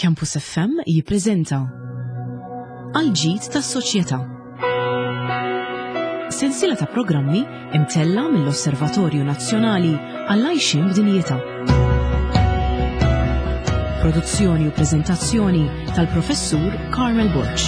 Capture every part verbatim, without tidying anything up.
Campus F M jippreżenta Għal-ġid tas-soċjetà. Sensiela ta' programmi imtella mill-Osservatorju Nazzjonali għall-Għajxien b'Dinjità. Produzzjoni u preżentazzjoni tal-Professur Carmel Borg.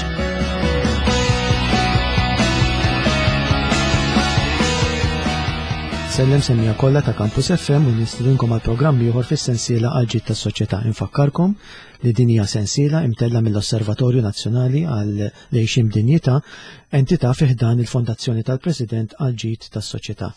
Sellem semmiegħa kollha ta' Campus F M u nistedinkom għal programm ieħor fis-sensiela Għal-ġid tas-soċjetà. Infakkarkom li din hija sensiela imtella mill-Osservatorju Nazzjonali għall-Għixien b'Dinjità, entità fi ħdan il-Fondazzjoni tal-President għal-ġid tas-soċjetà.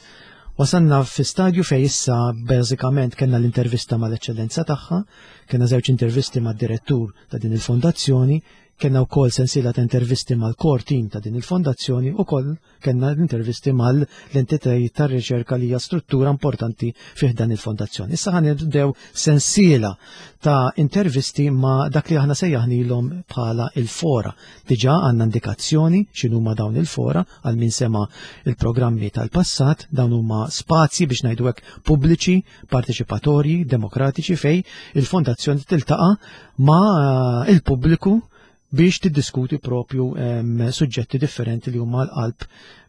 Wasanna fi stadju fej issa bażikament kellna l-intervista mal-eċċellenza tagħha, kellna żewġ intervisti mad-direttur ta' din il-fondazzjoni, kellna wkoll sensiela ta' intervisti mal-core team ta' din il-fondazzjoni u koll kellna intervisti mal-entitajiet tar-riċerka li hija struttura importanti fih dan il-fondazzjoni. Issa ħa nibdew sensiela ta' intervisti ma' dak li aħna sejjaħnilhom bħala il-fora. Diġà għandna indikazzjoni x'inhuma dawn il-fora għal min sema il-programmi tal-passat, dawn huma spazji, biex ngħidu hekk, pubbliċi, parteċipatorji, demokratiċi fej il-fondazzjoni tiltaqa' ma' il-pubbliku biex tiddiskuti propju um, suġġetti differenti li huma l-qalb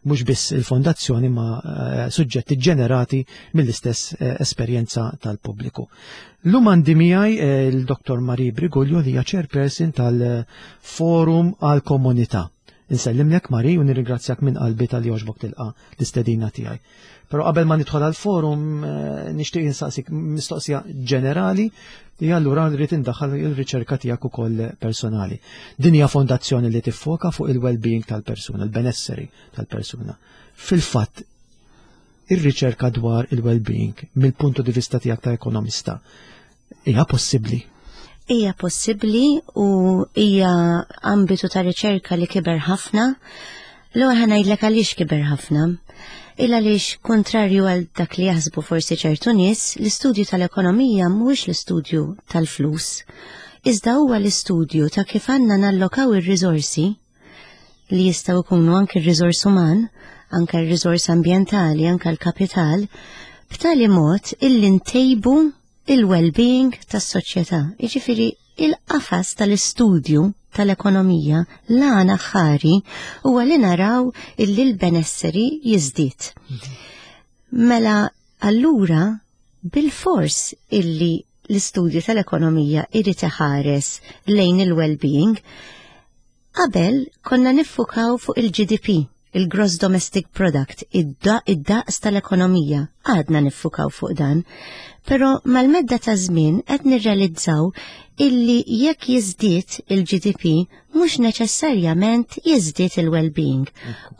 mhux biss il-fondazzjoni ma uh, suġġetti ġenerati mill-istess uh, esperjenza tal-pubbliku. Llum għandi miegħi uh, il-Dottor Marie Briguglio li hija chairperson tal-Forum għal-Komunità. Insellimlek, Marie, u nirringrazzjak minn qalbi talli għoġbok tilqa l-istedina tiegħi. Però qabel ma nidħol għal-forum nixtieq insaqsik mistoqsija ġenerali li allura rrid indaħħal il-riċerka tiegħek ukoll personali. Din hija fondazzjoni li tiffoka fuq il-well-being tal-persuna, il-benesseri tal-persuna. Fil-fatt, ir-riċerka dwar il-well-being mill-puntu di vista tiegħek ta' ekonomista hija possibbli? Hija possibbli u hija ambitu ta' riċerka li kiber ħafna. L-ewwel ħa ngħidlek għaliex kiber ħafna. Il għaliex, kontrarju għal dak li jaħsbu forsi ċertu nies, l-istudju tal-ekonomija mhuwiex l-istudju tal-flus. Iżda huwa l-istudju ta' kif għandna nallokaw ir-riżorsi li jistgħu jkunu anke r-riżors uman, anke r-riżors ambjentali, anke l-kapital, b'tali mod illi ntejbu il-well-being tas-soċjetà. Jiġifieri il-qafas tal-istudju tal-ekonomija, l-għan aħħari huwa li naraw illi l-benesseri jiżdied. Mela allura bil-fors illi l-istudju tal-ekonomija irid iħares lejn il-well-being. Qabel konna niffukaw fuq il-G D P, il-Gross Domestic Product, id-daqs tal-ekonomija. Għadna niffukaw fuq dan. Però mal-medda ta' żmien qed nirrealizzaw illi jekk jiżdied il-G D P mhux neċessarjament jiżdied il-well-being.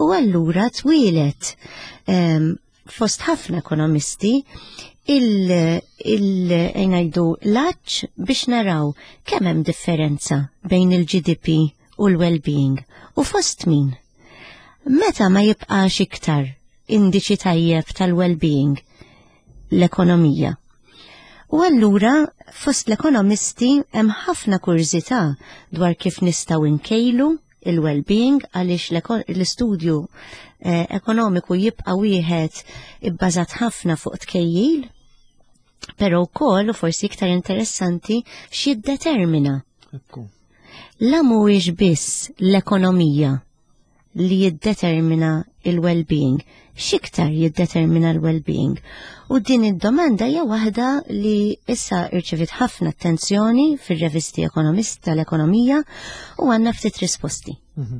U allura twieled um, fost ħafna ekonomisti il-ngħidu l-għatx biex naraw kemm hemm differenza bejn il-G D P u l-well-being u fost min. Meta ma jibqax iktar indiċi tajjeb tal-well-being l-ekonomija? U allura fost l-ekonomisti hemm ħafna kurżità dwar kif nistgħu nkejlu il-well-being, għaliex l-istudju eh, ekonomiku jibqa' wieħed ibbażat ħafna fuq tkejjil, però wkoll, u forsi iktar interessanti, x'jiddetermina. La mhuwiex biss l-ekonomija li jiddetermina il-well-being, x'iktar jiddetermina l-well-being? U din id-domanda hija waħda li issa irċevit ħafna attenzjoni fir-revisti ekonomist tal-ekonomija u għandna ftit risposti. Mhm.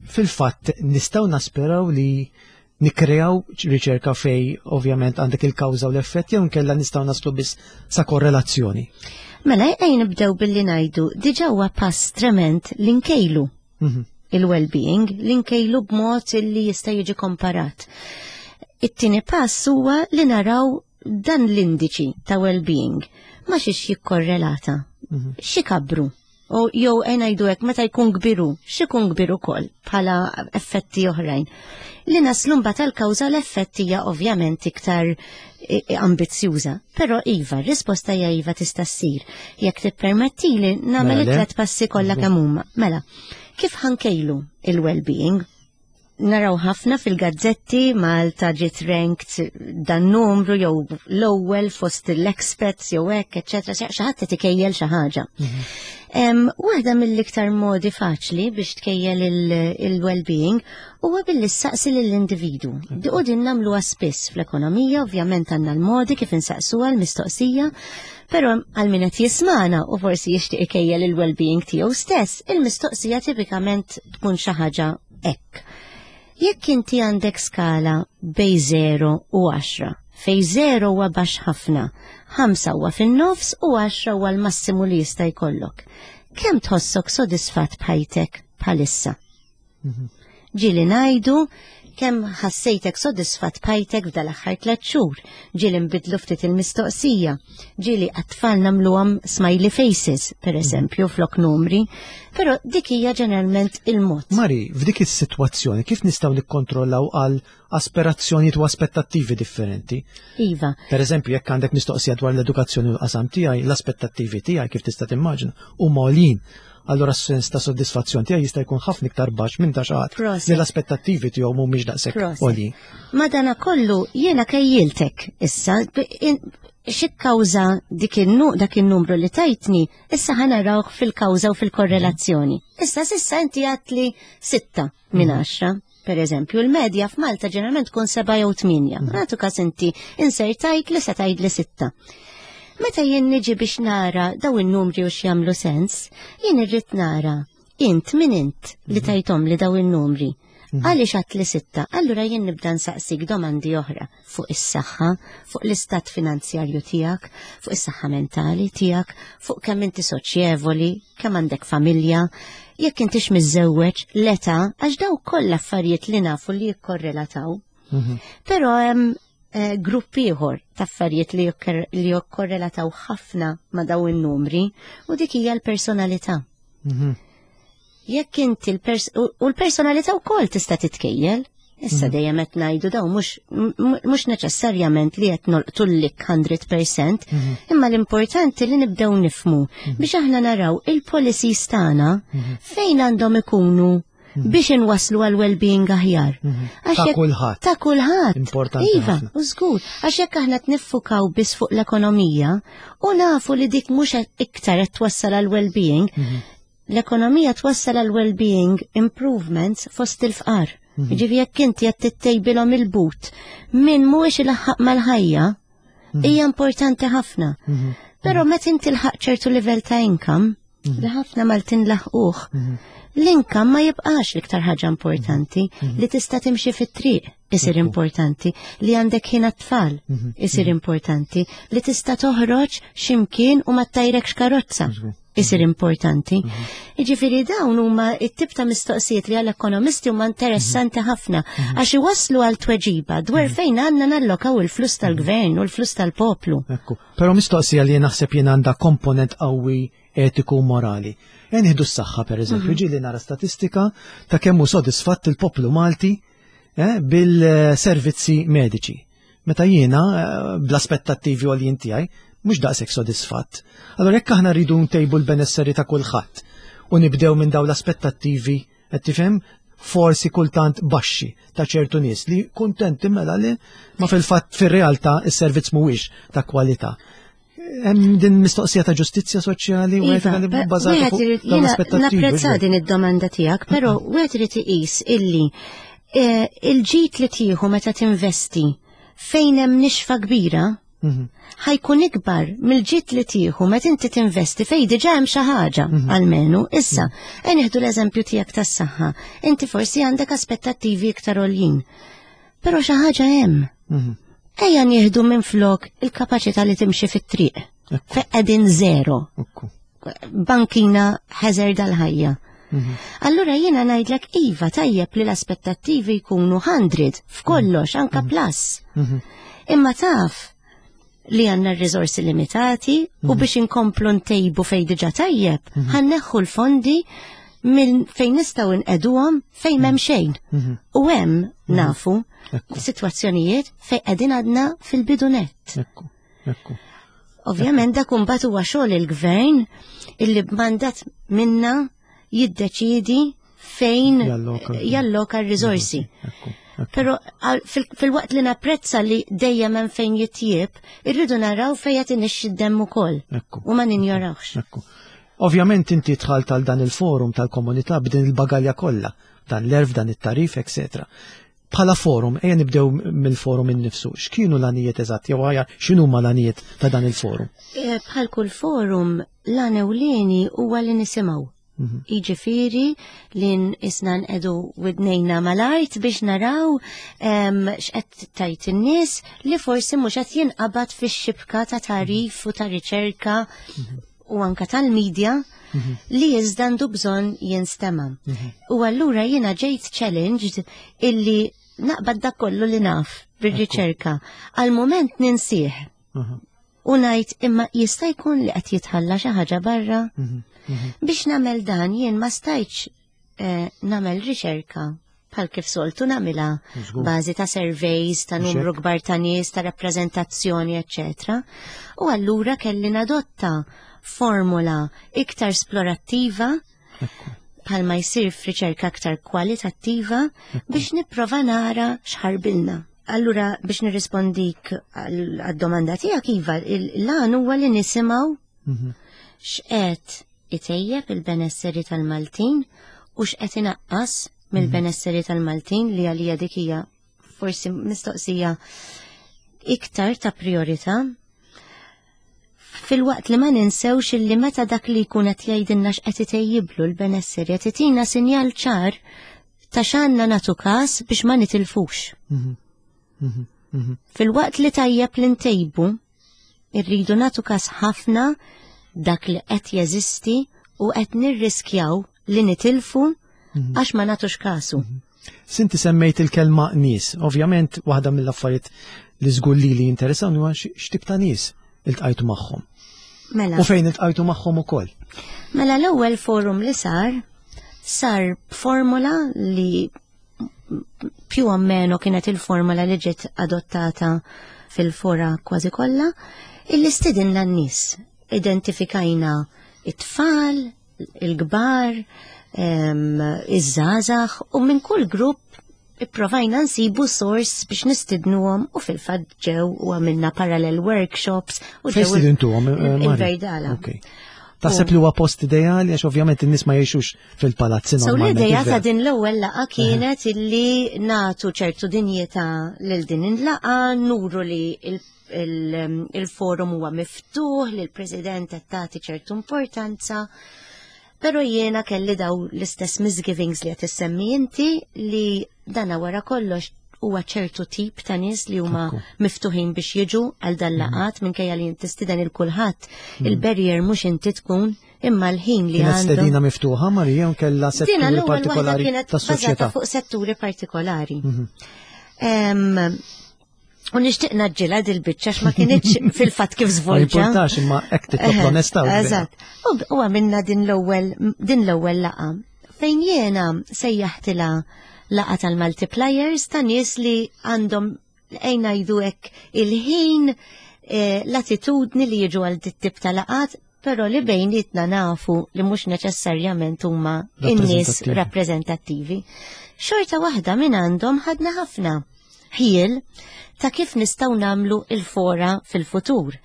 Fil-fatt, nistgħu nasperaw li nikreaw riċerka fej ovvjament għandek il-kawża u l-effett jew nkella nistgħu naslu biss sa korrelazzjoni? Mela, ejja nibdew billi ngħidu diġà huwa pass trement li nkejlu mhm. il-well-being, li nkejlu b'mod li jista' jiġi komparat. It-tieni pass huwa li naraw dan l-indiċi ta' well-being ma xiex jikkorrelata. Mhm. X'ikabbru? U jew ngħidu hekk, meta jkun kbiru, x'ikun kbir ukoll bħala effetti oħrajn. Li naslu mbagħad tal-kawża l-effetti hija ovvjament iktar ambizzjuża. Però iva, risposta hija iva, tista' ssir. Jekk tippermettili nagħmel Mela, it-tlet passi kollha kemm huma. Mela, kif ħa nkejlu il-well-being? Naraw ħafna fil-gazzetti Malta ġiet ranked dan numru jew l-ewwel fost l-experts jew hekk, eċċetera. Xi ħadd qed ikejjel xi ħaġa. Waħda mill-iktar modi faċli biex tkejjel il-well-being huwa billi ssaqsi lill-individu. U din nagħmluha spiss fl-ekonomija, ovvjament għandna l-modi kif insaqsuha l-mistoqsija, però għal min qed jismana u forsi jixtieq ikejjel il-well-being tiegħu stess, il-mistoqsija tipikament tkun xi ħaġa hekk. Jekk inti għandek skala bejn zero u għaxra, fejn zero huwa baxx ħafna, ħamsa huwa fin-nofs u għaxra huwa l-massimu li jista' jkollok. Kemm tħossok sodisfatt b'ħajtek bħalissa? Ġieli ngħidu kemm ħassejtek sodisfatt b'ħajtek f'dal-aħħar tliet xhur, ġieli nbidlu ftit il-mistoqsija, ġieli għat-tfal nagħmluhom smiley faces, per eżempju, flok numri, però dik hija ġeneralment il-mod. Mari, f'dik is-sitwazzjoni kif nistgħu nikkontrollaw għal aspirazzjonijiet u aspettattivi differenti? Iva. Per eżempju, jekk għandek mistoqsija dwar l-edukazzjoni u l-qasam tiegħi, l-aspettattivi tiegħi kif tista' timmaġina huma għolin. Allora s-sens ta' soddisfazzjon tiegħi jista' jkun ħafna iktar baxx minn ta' xi ħadd li l-aspettattivi tiegħu mhumiex daqshekk għolin. Madana kollu jiena kejjiltek issa xi kawża dik dak in-numru li tajtni, issa ħa narawh fil-kawża u fil-korrelazzjoni. Issa s'issa inti għedtli sitta minn mhm. għaxra. Per eżempju, il-medja f'Malta ġeneralment tkun seba' jew tmienja. Mhm. Nagħtu każ inti insertajt li se tgħid li sitta. Meta jien niġi biex nara daw in-numri u x'jagħmlu sens, jien irrid nara int min int li mhm. tajthom li daw in-numri. Mhm. Għaliex għedt li sitta? Allura jien nibda nsaqsik domandi oħra fuq is-saħħa, fuq l-istat finanzjarju tiegħek, fuq is-saħħa mentali tiegħek, fuq kemm inti soċjevoli, kemm għandek familja, jekk intix miżżewweġ, l-età, għax daw kollha affarijiet li nafu li jikkorrelataw. Mhm. Però hemm eh, grupp ieħor ta' affarijiet li li jikkorrelataw ħafna ma' daw in-numri u dik hija l-personalità. Mhm. Jekk inti u l-personalità wkoll tista' titkejjel. Issa mhm. dejjem qed ngħidu daw mhux mhux neċessarjament li qed nolqtu lik mija fil-mija, mhm. imma l-importanti li nibdew nifmu biex aħna naraw il-policies tagħna fejn għandhom ikunu biex inwaslu għal well-being aħjar. Ta' kulħadd. Ta' kulħadd. Importanti. Iva, u żgur, għax jekk aħna niffukaw biss fuq l-ekonomija u nafu li dik mhux iktar qed twassal għal well-being, l-ekonomija twassal għal well-being improvements fost il-fqar. Ġifieri jekk inti qed tittejbilhom il-but min mhuwiex ilaħħaq mal-ħajja, hija importanti ħafna. Però meta inti tilħaq ċertu livell ta' income, li ħafna Maltin laħquh, l-income ma jibqax l-iktar ħaġa importanti. Li tista' timxi fit-triq isir importanti, li għandek ħin tfal isir importanti, li tista' toħroġ ximkien u ma ttajrekx karozza isir importanti. Jiġifieri dawn huma it-tip ta' mistoqsijiet li għall-ekonomisti huma interessanti ħafna għax iwasslu għal tweġiba dwar fejn għandna nallokaw il-flus tal-gvern u l-flus tal-poplu. Ekku, però mistoqsija li naħseb jien għandha komponent qawwi etiku u morali. Nieħdu s-saħħa per eżempju, ġieli nara statistika ta' kemm hu sodisfatt il-poplu Malti eh, bil-servizzi mediċi. Meta jiena eh, bl-aspettattivi għoljin tiegħi mhux daqshekk sodisfatt. Allora jekk aħna rridu ntejbu l-benesseri ta' kulħadd u nibdew minn dawn l-aspettattivi, qed tifhem, forsi kultant baxxi ta' ċertu nies li kuntenti mela li ma fil-fatt fir-realtà is-servizz mhuwiex ta' kwalità. Hemm din mistoqsija ta' ġustizzja soċjali u Iva, etika li bbażata fuq dawn l-aspettattivi. Napprezza din id-domanda tiegħek, però wieħed irid iqis illi eh, il-ġid li tieħu meta tinvesti fejn hemm nixfa kbira Mhm. ħa jkun ikbar mill-ġid li tieħu meta inti tinvesti fejn diġà hemm xi ħaġa almenu. Issa, e nieħdu l-eżempju tiegħek tas-saħħa. Inti forsi għandek aspettattivi iktar għoljin. Però xi ħaġa hemm. Mhm. Ejja nieħdu minn flok il-kapaċità li timxi fit-triq. Ekku. Fejn qegħdin zero. Ekku. Bankina hazard għal-ħajja. Mhm. Allura jiena ngħidlek iva, tajjeb li l-aspettattivi jkunu mija f'kollox, anka plus. Mhm. Imma taf li għandna r-riżorsi limitati u biex inkomplu ntejbu fejn diġà tajjeb, ħa nneħħu l-fondi minn fejn nistgħu nqegħduhom fejn m'hemm xejn. Mhm. U hemm nafu Ekku. sitwazzjonijiet fejn qegħdin għadna fil-bidu nett. Ekku. Ekku. Ovvjament dak imbagħad huwa xogħol il-gvern illi b'mandat minna jiddeċidi fejn Jalloka. jalloka r-riżorsi. Ekku. Ekku. Però għal- fil- fil-waqt li napprezza li dejjem hemm fejn jitjieb, irridu naraw fejn qed inixxi d-demm ukoll Ekku. u ma ninjorawx. Ekku. Ovvjament inti dħalt għal dan il-forum tal-komunità b'din il-bagalja kollha, dan l-għerf, dan it-tagħrif, eċetera. Bħala forum, ejja nibdew mill-forum innifsu. X'kienu l-għanijiet eżatt, jew aħjar x'inhuma l-għanijiet ta' dan il-forum? Eh, Bħal kull forum, l-għan ewlieni huwa li nisimgħu. Mhm. Jiġifieri li isna nqegħdu widnejna mal-art biex naraw em, x'qed tgħid in-nies li forsi mhux qed jinqabad fix-xibka ta' tagħrif u ta' riċerka u anka tal-medja li iżda għandu bżonn jinstema'. U allura jiena ġejt challenged illi naqbad dak kollu li naf bir-riċerka. Għal moment ninsih Mhm. u ngħid imma jista' jkun li qed jitħalla xi ħaġa barra. Mhm. Mhm. Biex nagħmel dan jien ma stajtx eh, nagħmel riċerka bħal kif soltu nagħmilha Żgur. bażi ta' surveys, ta' Mhux numru hekk? kbar ta' nies, ta' rappreżentazzjoni, eċċetera. U allura kelli nadotta formula iktar esplorattiva Ekku. bħalma jsir f'riċerka aktar kwalitattiva biex nipprova nara x'ħarbilna. Allura biex nirrispondik għal- għad-domanda tiegħek iva, l-għan huwa li nisimgħu Mhm. x'qed itejjeb il-benesseri tal-Maltin u x'qed inaqqas mill-benesseri tal-Maltin li għalija dik hija forsi mistoqsija iktar ta' priorità. Filwaqt li ma ninsewx illi meta dak li jkun qed jgħidilna x'qed itejjiblu l-benesseri qed itina sinjal ċar ta' x'għandna nagħtu każ biex ma nitilfux. Mhm. Mhm. Mhm. Filwaqt li tajjeb li ntejbu, irridu nagħtu każ ħafna dak li qed jeżisti u qed nirriskjaw li nitilfu għax ma nagħtux kasu. Inti semmejt il-kelma nies. Ovvjament, waħda mill-affarijiet li żgur li li jinteressawni huwa x'tip ta' nies iltqajtu magħhom. Mela, U fejn iltqajtu magħhom ukoll. mela l-ewwel forum li sar, sar b'formula li più o meno kienet il-formula li ġiet adottata fil-fora kważi kollha, illi stidinna n-nies. Identifikajna it-tfal, il-kbar, em, iż-żgħażagħ u minn kull grupp ipprovajna nsibu source biex nistidnuhom u fil-fatt ġew u għamilna parallel workshops u Fejn ġew stidintuhom, eh, Mari? il-Verdala. Ok. Taħseb li huwa post ideali għax ovvjament in-nies ma jgħixux fil-palazzi So normalment. l-ideja ta' vera. din l-ewwel laqgħa kienet illi nagħtu ċertu dinjità lil din il-laqgħa, nuru li il- il- il-forum huwa miftuħ, li l-President qed tagħti ċertu importanza. Però jiena kelli daw l-istess misgivings li qed issemmi inti li dana wara kollox huwa ċertu tip ta' nies li huma Ekku. miftuħin biex jiġu għal dan laqgħat minkejja li inti tistieden il kulħadd. Il-barrier mhux inti tkun imma l-ħin li Kienet għandhom. stedina miftuħa Marija u kella Dina setturi l-ewwel waħda partikolari kienet tas-soċjetà. bażata fuq setturi partikolari. Mhm. Em, U nixtieq naġġilha dil-biċċa ma kinitx fil-fatt kif Ma żvolġa. jimpurtax imma hekk titlob Eħe, l-onestà. u vera. Eżatt. U u għamilna din l-ewwel din l-ewwel laqgħa. Fejn jiena sejjaħtilha laqgħa tal-multipliers ta' nies li għandhom ejna jgħidu hekk il-ħin eh, l-attitudni li jiġu għal dit-tip ta' laqgħat, però li bejnietna nafu li mhux neċessarjament huma in-nies Rappreżentattivi. rappreżentattivi. Xorta waħda minn għandhom ħadna ħafna ħjiel ta' kif nistgħu nagħmlu il-fora fil-futur.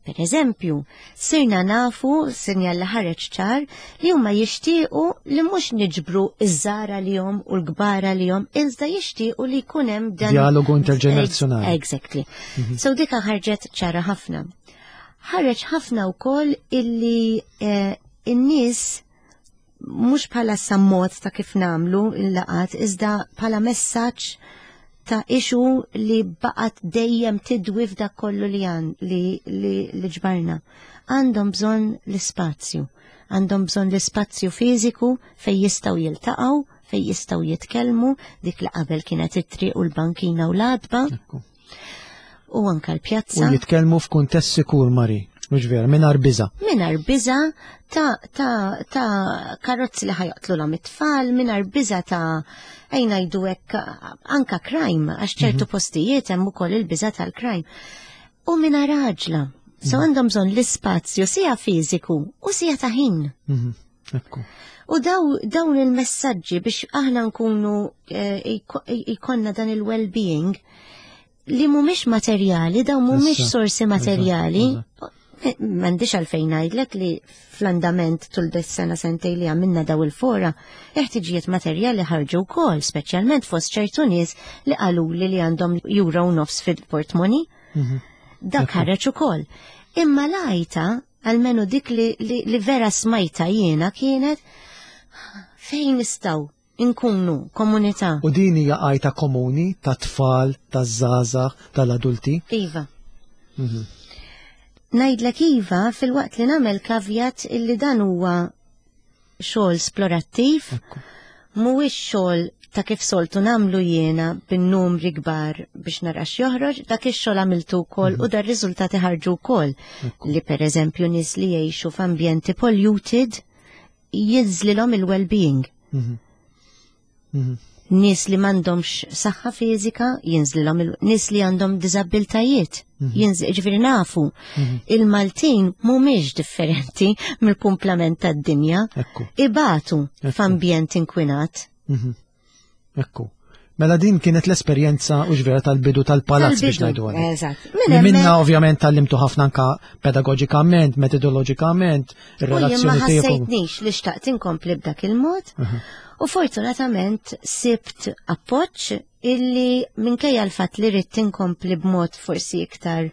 Per eżempju, sirna nafu, sinjal li ħareġ ċar, li huma jixtiequ li mhux niġbru iż-żgħar li jom u l-kbar li jom, iżda jixtiequ li jkun hemm dan Dialogu interġenerazzjonali. Exactly. So dika ħarġet ċara ħafna. Ħareġ ħafna wkoll illi eh, in-nies mhux bħala sammot ta' kif nagħmlu il-laqgħat, iżda bħala messaġġ ta' issue li baqat dejjem tidwi f'dak kollu li għan li, li, li ġbarna. Għandhom bżonn l-ispazju. Għandhom bżonn l-ispazju fiżiku fej jistgħu jiltaqgħu, fej jistgħu jitkellmu, dik li qabel kienet it-triq u l-bankina u l-għatba Ekku. u anka U l-pjazza. jitkellmu f'kuntest sikur, Mari. Mhux vera, mingħajr biża. Mingħajr biża ta', ta, ta' karozzi li ħa joqtluhom it-tfal, mingħajr biża ta' ejna ngħidu hekk anka crime, għax ċertu postijiet hemm ukoll il-biża tal-crime. U mingħajr għaġla. So għandhom bżonn l-ispazju sija fiżiku u sija ta' ħin. Mhm. Ekku. U daw, dawn il-messaġġi biex aħna nkunu eh, iko- ikonna dan il-well-being li mhumiex materjali, daw mhumiex Issa, sorsi materjali, M'għandix għalfejn ngħidlek li fl-andament tul dis-sena sentejn li għamilna daw il-fora, ħtiġijiet materjali ħarġu wkoll, speċjalment fost ċertu nies li qalu li li għandhom euro u nofs fil-portmoni. Mhm. Dak ħareġ ukoll. Imma l-għajta, almenu dik li, li, li vera smajta jiena, kienet fejn nistgħu inkunu komunità. U din hija għajta komuni ta' tfal, ta' żgħażagħ, tal-adulti. Iva. Ngħidlek iva, filwaqt li nagħmel caveat illi dan huwa xogħol esplorattiv, mhuwiex xogħol ta' kif soltu nagħmlu jiena bin-numri kbar biex nara x'joħroġ. Dak ix-xogħol għamiltu wkoll u dar riżultati ħarġu wkoll. Li per eżempju nies li jgħixu f'ambjenti polluted jinżlilhom il-well-being. Mhm. Mhm. Nies li m'għandhomx saħħa fiżika jinżlilhom il nies li għandhom diżabbiltajiet. Jinżil, ġifieri nafu. Il-Maltin mhumiex differenti mill-kumplament tad-dinja. Ekku. Ibatu f'ambjent inkwinat. Mhm. Ekku. Mela din kienet l-esperjenza u ġvera tal-bidu tal-palazz biex Tal-bidu, ngħidu għalek. Eżatt. Li Minn minna hemmhekk- ovvjament tgħallimtu ħafna anka pedagogikament, metodologikament, U jien ma ir-relazzjoni tiegħek. ħassejtnix li xtaqt inkompli b'dak il-mod. U fortunatament sibt appoġġ illi minkejja l-fatt li ridt inkompli b'mod forsi iktar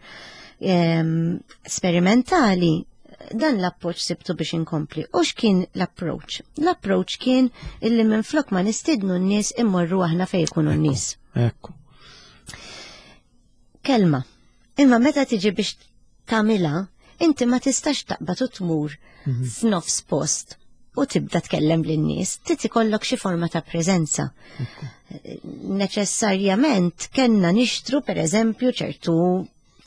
em, sperimentali, dan l-appoġġ sibtu biex inkompli. U x'kien l-approach? L-approach kien illi minn flok ma nistidnu n-nies, immorru aħna fejn ikunu n-nies. Ekku. Kelma. Imma meta tiġi biex tagħmilha, inti ma tistax taqbad u tmur f'nofs post u tibda tkellem lin-nies, trid ikollok xi forma ta' preżenza. Neċessarjament kellna nixtru, per eżempju, ċertu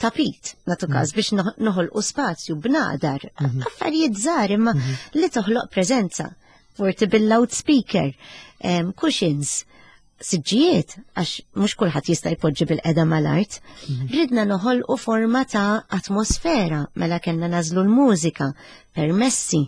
tapit, natu każ, biex noħ- noħolqu spazju bnadar, affarijiet żgħar imma li toħloq preżenza. Portable loudspeaker, em, cushions, siġġijiet, għax mhux kulħadd jista' jpoġġi bil-qeda mal-art. Ridna noħolqu forma ta' atmosfera, mela kellna nagħżlu l-mużika, permessi.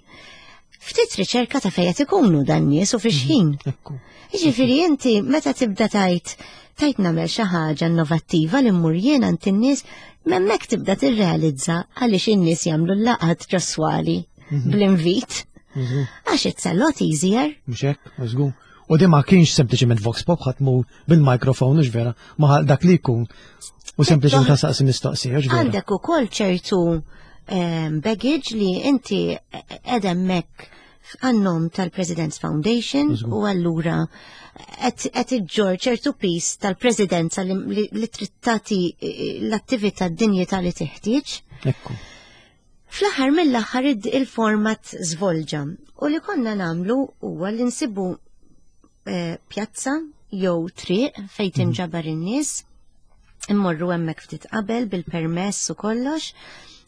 Ftit riċerka ta' fejn qed ikunu dan nies u fix ħin. Ekku. Jiġifieri inti meta tibda tajt tajt nagħmel xi ħaġa innovattiva li mmur jien għand in-nies, m'hemmhekk tibda tirrealizza għaliex in-nies jagħmlu l-laqgħat ġo swali bl-invit. Għax it's a lot easier. Mhux hekk, żgur. U di ma kienx sempliċement vox pop, ħadd mu bil-mikrofon, mhux vera, ma dak li jkun. U sempliċement ta' mistoqsija, mhux vera. Għandek ukoll ċertu em, baggage li inti qed hemmhekk għan-nom tal-President's Foundation u allura qed iġġor ċertu piż tal-Presidenza li, li, li trid tagħti eh, l-attività d-dinjità li teħtieġ. Ekku. Fl-aħħar mill-aħħar id- il-format żvolġa u li konna nagħmlu huwa li nsibu eh, pjazza jew triq fejn tinġabar in-nies, immorru hemmhekk ftit qabel bil-permess u kollox,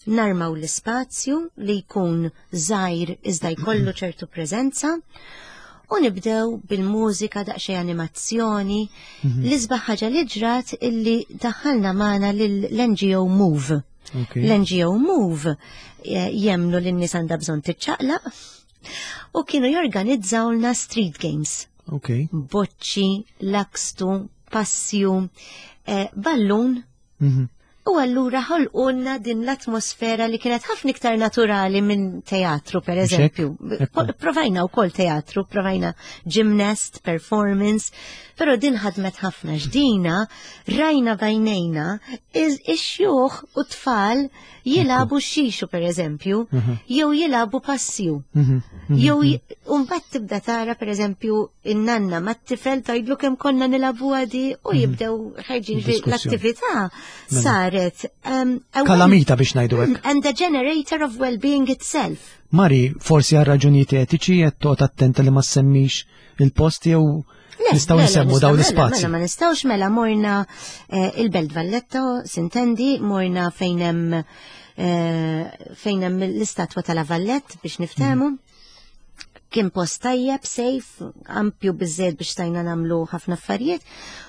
narmaw l-ispazju li jkun żgħir iżda jkollu ċertu preżenza u nibdew bil-mużika, daqsxejn animazzjoni. L-isbaħ ħaġa li ġrat illi daħħalna magħna lill-N G O Move. Ok. L-N G O Move eh, jemmnu li n-nies għandha bżonn tiċċaqlaq u kienu jorganizzawlna street games. Ok. Boċċi, lakstu, passju, eh, ballun. Mhm. U allura ħolqulna din l-atmosfera li kienet ħafna iktar naturali minn teatru, per Mhux hekk? eżempju. Ekku. Provajna wkoll teatru, provajna gymnast, performance, però din ħadmet ħafna ġdina, rajna b'għajnejna, ix-xjuħ u tfal jilagħbu xixu, per eżempju, jew jilagħbu passju. Mhm. Jew j- mbagħad tibda tara, per eżempju, in-nanna mat-tifel tgħidlu kemm konna nilagħbu għadi u jibdew ħarġin fi Diskussjoni. l-attività saret um, a well- Kalamita biex ngħidu hekk. and a generator of well-being itself. Mari, forsi għal raġunijiet etiċi qed toqgħod attenta li ma semmix il-post jew Le, nistgħu le, le, nsemmu daw nistgħu- mela, l-ispazji? Mela ma nistgħux, mela morna eh, il-Belt Valletta, sintendi, morna fejn hemm eh, fejn hemm l-istatwa tal-La Vallette biex niftehmu. Kien post tajjeb, safe, ampju biżżejjed biex stajna nagħmlu ħafna affarijiet.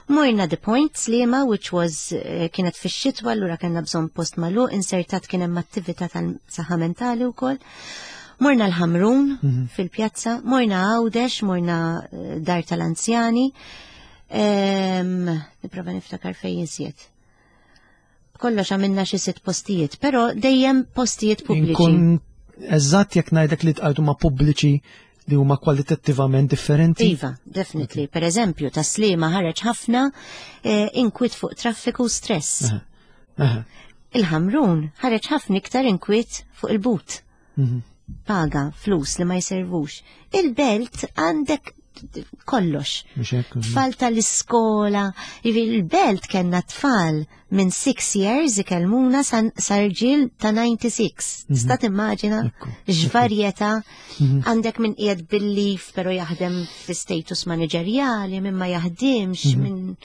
Morna The Point Sliema, which was eh, kienet fix-xitwa, allura kellna bżonn post magħluq, insertat kien hemm attività tal-saħħa mentali wkoll. Morna l-Ħamrun fil-pjazza, morna Għawdex, morna eh, dar tal-anzjani. Em, Nipprova niftakar fejn iżjed. Kollox għamilna xi sitt postijiet, però dejjem postijiet pubbliċi. Inkun eżatt jekk ngħidlek li tqajtu ma' pubbliċi li huma kwalitattivament differenti. Iva, definitely. Per eżempju, Tas-Sliema ħareġ ħafna eh, inkwiet fuq traffiku u stress. Aha. Aha. Il-Ħamrun ħareġ ħafna iktar inkwiet fuq il-but. Mhm. Paga, flus li ma jservux. Il-Belt għandek kollox. Mhux hekk? Tfal tal-iskola, jiġifieri il-Belt kellna tfal minn six years ikellmuna sa rġiel ta' disgħa u disgħin. Tista' timmaġina Ekku, x'varjetà għandek minn qiegħed bil-leave però jaħdem fi status manageriali, minn ma jaħdimx, minn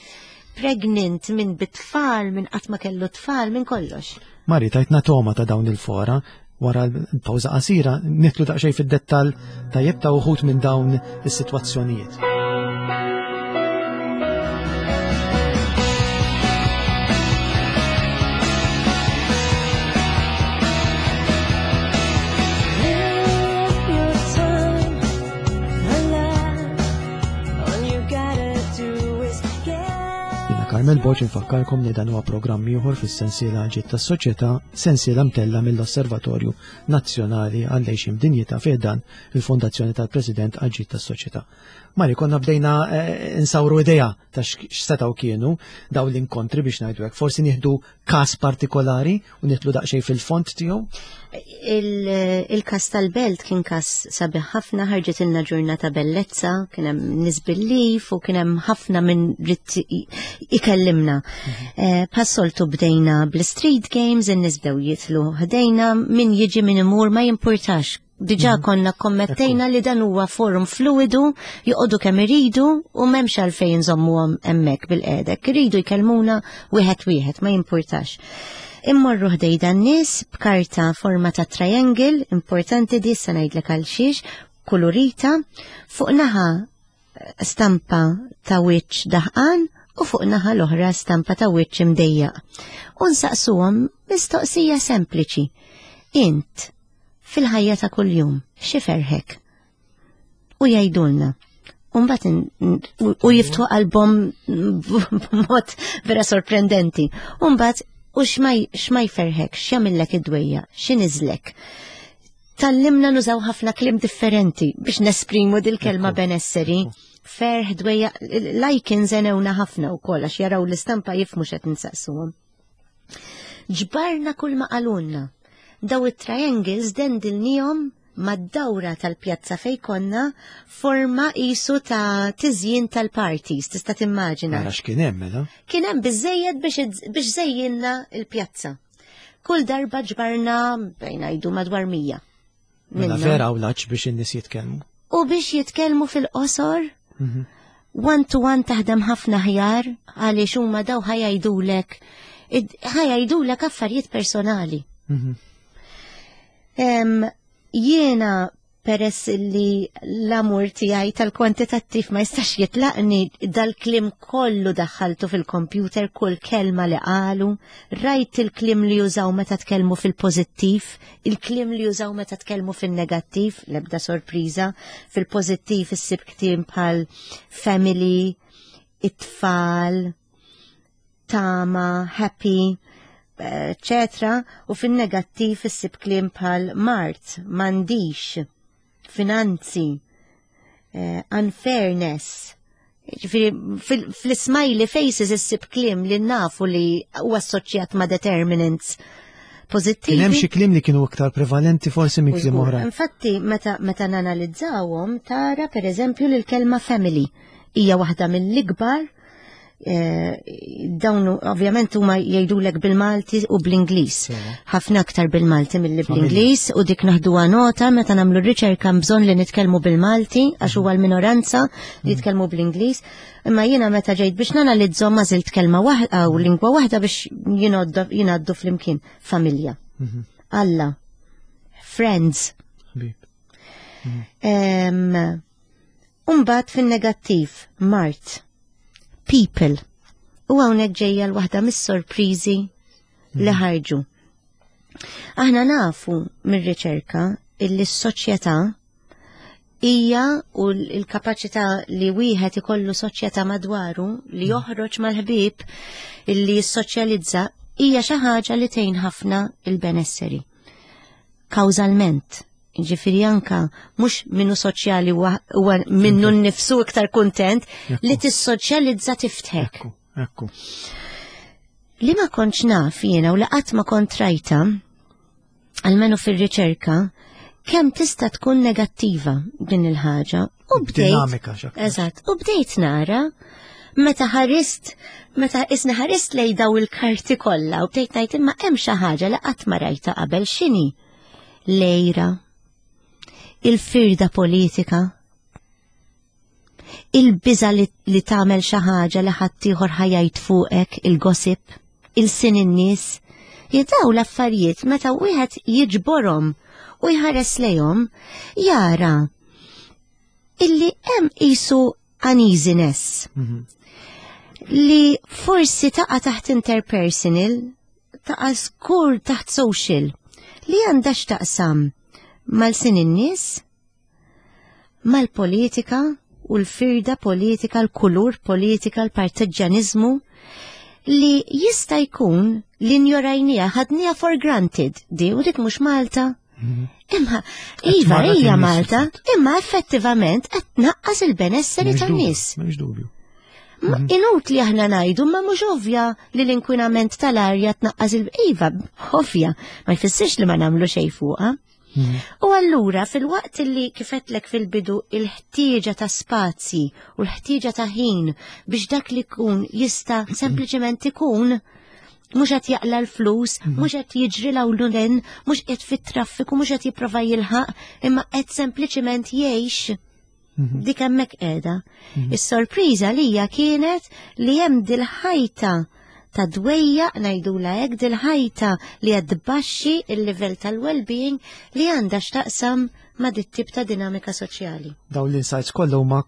pregnant, minn bit-tfal, minn qatt ma kellu tfal, minn kollox. Mari, tajtna toma ta' dawn il-fora, wara l-pawża qasira, nidħlu daqsxejn fid-dettall tajjeb ta' uħud minn dawn is-sitwazzjonijiet. Live your time alive. All you gotta do is get. Jiena Carmel Borg infakkarkom li dan huwa programm ieħor fis-sensiela Ġid tas-Soċjetà, sensiela mtella mill-Osservatorju Nazzjonali għall-Għixien Dinjità fi ħdan il-Fondazzjoni tal-President għall-Ġid tas-Soċjetà. Mari, konna bdejna eh, insawru idea ta' x'setgħu kienu dawn l-inkontri biex ngħidu hekk. Forsi nieħdu każ partikolari u nidħlu daqsxejn fil-fond tiegħu. Il-kas tal-Belt kien kas sabiħ ħafna, ħarġet ilna ġurnata bellezza, kien hemm nies bil-leave u kien hemm ħafna minn ried ikellimna. Eh, Bħas-soltu bdejna bl-street games, in-nies bdew jitilgħu ħdejna, min jiġi min imur ma jimpurtax. Diġà konna kommettejna li dan huwa forum fluidu, joqogħdu kemm iridu u m'hemmx għalfejn nżommuhom hemmhekk bil-qiegħda. Iridu jkellmuna wieħed wieħed, ma jimpurtax. Immorru ħdejn dan-nies b'karta forma ta' triangle, importanti di sa ngħidlek għal xiex, kulurita, fuq naħa stampa ta' wiċċ daħqan u fuq naħa l-oħra stampa ta' wiċċ imdejjaq. U nsaqsuhom mistoqsija sempliċi. Int, fil-ħajja ta' kuljum, x'iferrħek? U jgħidulna. Umbat u jiftħu qalbhom b'mod vera sorprendenti. Umbat u x'ma jferrħek, x'jagħmillek id-dwejja, x'iniżżlek. Tgħallimna nużaw ħafna kliem differenti biex nesprimu dil-kelma benesseri. Ferħ, dwejja, l-icons għenewna ħafna u koll, għax jaraw l-istampa jifhmu x'qed nsaqsuhom. Ġbarna kull ma qalulna. Daw it-triangles dendilnihom mad-dawra tal-pjazza fej konna forma qisu ta' tiżjin tal-parties, tista' timmaġina. Ara x'kien hemm mela. Kien hemm biżejjed biex biex żejjinna l-pjazza. Kull darba ġbarna bejn ngħidu madwar mija. Mela Minna. vera u laċ biex in-nies jitkellmu. U biex jitkellmu fil-qosor, one to one taħdem ħafna ħjar għaliex huma daw ħa jgħidulek ħa jgħidulek affarijiet personali. Mhm. Em, Jiena peress li l-amur tiegħi tal-kwantitattiv ma jistax jitlaqni dal-kliem kollu daħħaltu fil-kompjuter kull kelma li qalu, rajt il-kliem li jużaw meta tkellmu fil-pożittiv, il-kliem li jużaw meta tkellmu fil-negattiv, l-ebda sorpriża, fil-pożittiv issib kliem bħal family, it-tfal, tama, happy, eccetera, u fin-negattiv issib kliem bħal mard, m'għandix, finanzi, eh, unfairness. Ġifieri, fil- fil-smiley faces issib kliem li nafu li huwa assoċjat ma' determinants pożittivi. Kien hemm xi kliem li kienu iktar prevalenti forsi minn kliem Użgur. oħra. Infatti, meta, meta nanalizzawhom tara per eżempju li l-kelma family hija waħda mill-ikbar eh, dawn ovvjament huma jgħidulek bil-Malti u bl-Ingliż. Ħafna aktar bil-Malti milli bl-Ingliż u dik naħduha nota meta nagħmlu r-riċerka bżonn li nitkellmu bil-Malti għax huwa l-minoranza li jitkellmu bl-Ingliż. Imma jiena meta ġejt biex nanalizzhom għażilt kelma waħda u lingwa waħda biex jingħoddu jingħaddu flimkien. Familja. Alla. Friends. Ħbib. Em, Umbat fin-negattiv, mard, people. U hawnhekk ġejja l-waħda mis-sorpriżi li ħarġu. Aħna nafu mir-riċerka illi s-soċjetà hija u l-kapaċità li wieħed ikollu soċjetà madwaru li joħroġ mal-ħbieb illi jissoċjalizza Hija xi ħaġa li tgħin ħafna il-benesseri. Kawżalment, ġifieri anka mhux minnu soċjali huwa minnu nnifsu iktar kuntent li tissoċjalizza tiftħek. Ekku, ekku. Li ma kontx naf jiena u li qatt ma kont rajta, almenu fir-riċerka, kemm tista' tkun negattiva din il-ħaġa. U bdejt. Dinamika x'aktar. Eżatt, u bdejt nara meta ħarist, meta isna ħarist lej daw il-karti kollha u bdejt ngħid imma hemm xi ħaġa li qatt ma rajta qabel x'inhi? L-għira, il-firda politika, il-biża li, li tagħmel xi ħaġa li ħaddieħor ħa jgħid fuqek, il-gossip, il-sin in-nies. Jidaw l-affarijiet meta wieħed jiġborhom u jħares lejhom jara illi hemm qisu uneasiness Mhm. li forsi taqa' taħt interpersonal, taqa' skur taħt social, li għandha x'taqsam mal-sin in-nies, mal-politika u l-firda politika, l-kulur politika, l-partiġġjaniżmu, li jista' jkun li njorajnija, ħadnija for granted, di u dik mhux Malta. Imma, iva, tmarrad hija in-nies Malta, fil-fatt. Imma effettivament qed tnaqqas il-benesseri M'hemmx dubju, tan-nies. m'hemmx dubju. Ma inutli aħna ngħidu, ma mhux ovvja li l-inkwinament tal-arja tnaqqas il- Iva, ovvja, ma jfissirx li ma nagħmlu xejn fuqha. U allura fil-waqt li kif għedtlek fil-bidu il-ħtieġa ta' spazji u l-ħtieġa ta' ħin biex dak li jkun jista' sempliċement ikun mhux qed jaqla l-flus, mhux qed jiġri l mhux qed fit-traffiku, mhux qed jipprova jilħaq, imma qed sempliċement jgħix dik hemmhekk qiegħda. Is-sorpriża lija kienet li hemm dil-ħajta ta' dwejja ngħidula hekk, dil-ħajta li qed tbaxxi il-livell tal-well-being li għandha x'taqsam ma' dit-tip ta' dinamika soċjali. Dawn l-insights kollha huma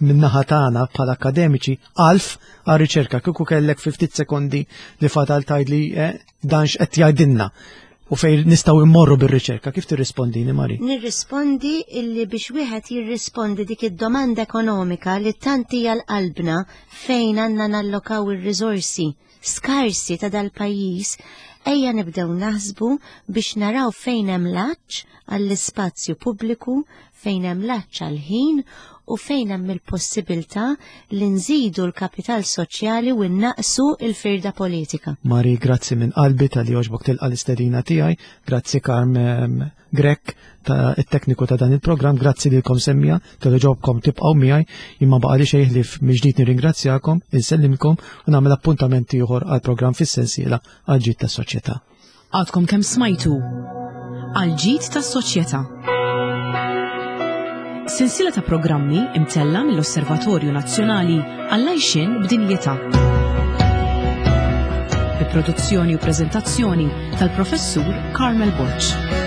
min-naħa tagħna bħala akademiċi għalf għar-riċerka. Kieku kellek fi ftit sekondi li fadal tgħidli eh, dan x'qed jgħidilna u fejn nistgħu immorru bir-riċerka, kif tirrispondini, Mari? Nirrispondi illi biex wieħed jirrispondi dik id-domanda ekonomika li tant hija l-qalbna fejn għandna nallokaw ir-riżorsi skarsi ta' dal-pajjiż, ejja nibdew naħsbu biex naraw fejn hemm l-għatx għall-ispazju pubbliku, fejn hemm l-għatx għall-ħin u fejn hemm il-possibilità li nżidu l-kapital soċjali u nnaqsu il-firda politika. Mari, grazzi minn qalbi talli għoġbok tilqa l-istedina tiegħi, grazzi Carm em, Grech ta' it-tekniku ta' dan il-programm, grazzi lilkom semmiegħa talli għoġobkom tibqgħu miegħi, imma baqa' li xejn ħlief mill-ġdid nirringrazzjakom, insellimkom u nagħmel appuntament ieħor għall-programm fis-sensiela għal ġid tas-soċjetà. Għadkom kemm smajtu Għal ġid tas-soċjetà. Sensiela ta' programmi imtella mill-Osservatorju Nazzjonali għall-Għajxien b'Dinjità. Bi produzzjoni u preżentazzjoni tal-Professur Carmel Borg.